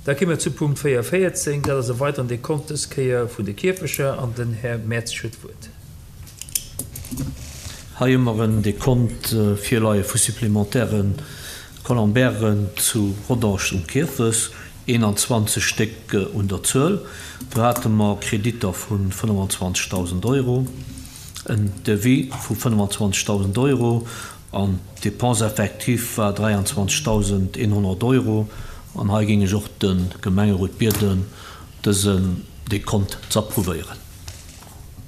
Da kéime mer zu Punkt 44, dat ass e weideren Dekont, dës Kéier vun de Kierfecher, an den Här Mertzig huet d'Wuert. Hei hu mer en Dekont virleie vu supplémentaire Columbairen zu Rodange um Kierfes, 21 Stéck un der Zuel. Do hate mer Kreditter vu 25.000 Euro, en Devis vu 25.000 Euro an d'Dépense effective war 23.100 Euro. An hei géing ech och de Gemengerot bieden, dësen Dekont z'approuvéieren.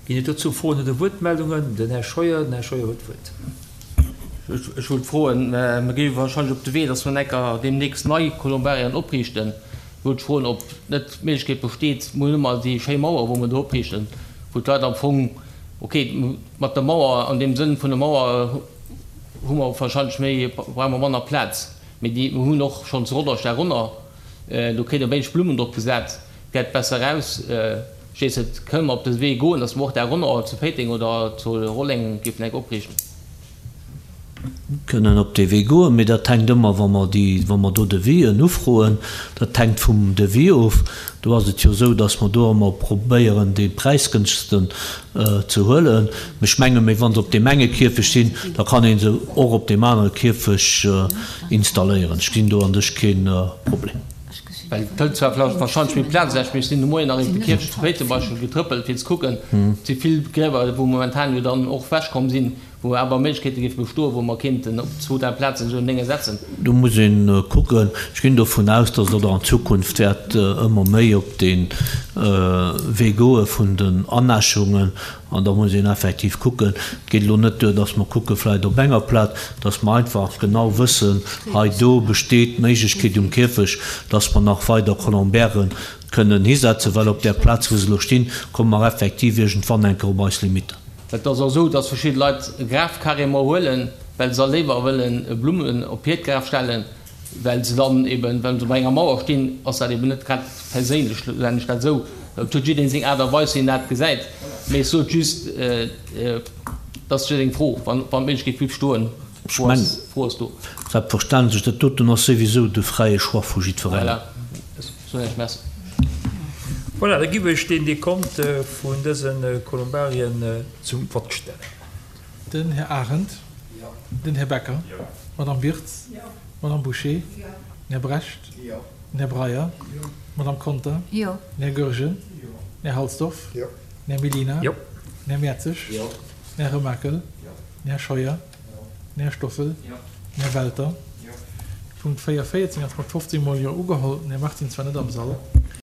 Ginn et dozou Froen oder Wuertmeldungen? Den Här Scheuer, den Här Scheuer huet d'Wuert. Ech wollt froen, mer gi wahrscheinlech op de Wee, dass mer enker deemnächst nei Colombarien opriichten. Wollt froen, ob net d'Méiglechkeet besteet, mir hunn ëmmer déi schéi Mauer, wou mer do opriichten, wou d'Leit am Fong, ok, mat der Mauer, an deem Sënn vun der Mauer hu mer wahrscheinlech méi, brauche mer manner Plaz, mee déi, mir hunn och schonn zu Rodange därunner, do kritt e wéineg Blummen drop gesat, gäit besser aus. Stees et, kënne mer op de Wee goen, dass mer och därunner zu Péiteng oder zu Rolleng géifen eng opriichten? Kënnen op dee Wee goen, mee dat hänkt ëmmer, wa mer déi, wa mer do Devisen ufroen, dat hänkt vum Devis of. Do ass et jo esou, datt mer do ëmmer probéieren, dee präisgënstegsten ze huelen. Mee ech menge méi, wa se op deem enge Kierfecht sinn, da kann ee se och op deem anere Kierfecht installéieren. Ech gesinn do an sech kee Problem. Well et hëlt zwar warscheinlech méi Plaz ewech, mee ech sinn de Moien nach iwwer de Kierfecht zu Péiteng beispillsweis getrëppelt, fir ze kucken. Et si vill Griewer, wou momentan jo dann och ewechkomm sinn. Wou awer Méiglechkeete géife bestoen, wou mer kéinten op zwou, dräi Plazen esou en Dénge setzen. Do muss ee kucken. Ech ginn dovun aus, datt et och an Zukunft wäert ëmmer méi op dee Wee goe vun den Anäschungen. An da muss een effektiv kucken. Et geet elo net duer, datt mer kucke vläicht op enger Plaz, datt mer einfach genau wëssen, hei do besteet d'Méiglechkeet um Kierfecht, datt mer nach weider Colombairen kënnen hisetzen, well op där Plaz, wou se elo stinn, komme mer effektiv iergendwann eng Kéier op eis Limitten. Et ass och esou, dass verschidde Leit e Graf carrément huelen, well se da léiwer wëllen Blummen op hiert Graf stellen, well se dann eben, well se bei enger Mauer stinn, ass dat eben net grad perséinlech, nennen ech dat esou. Et huet jiddereen seng Aart a Weis, wéi en dat gesäit. Mee ech sot just, dat ass just eng Fro, wann d'Méiglechkeet bliff stoen, Fro ass, Fro ass do. Selbstverständlech, dat doten ass souwisou de fräie Choix vu jiddwerengem. Voilà, ech soen Iech Merci. Voilà, da giff ech deen Dekont vun dëse Kolumbarien zum Vott stellen. Den Här Arendt. Den Här Becker. D'Madame Wirtz. D'Madame Bouché. Den Här Brecht. Den Här Breyer. D'Madame Conter. Den Här Goergen. Den Här Halsdorf. Den Här Mellina. Den Här Mertzig. Den Här Remakel. Den Här Scheuer. Den Här Stoffel. Den Här Welter. Punkt 4, 14 ass mat 15 mol Jo ugeholl. Den Här Martins war net am Sall.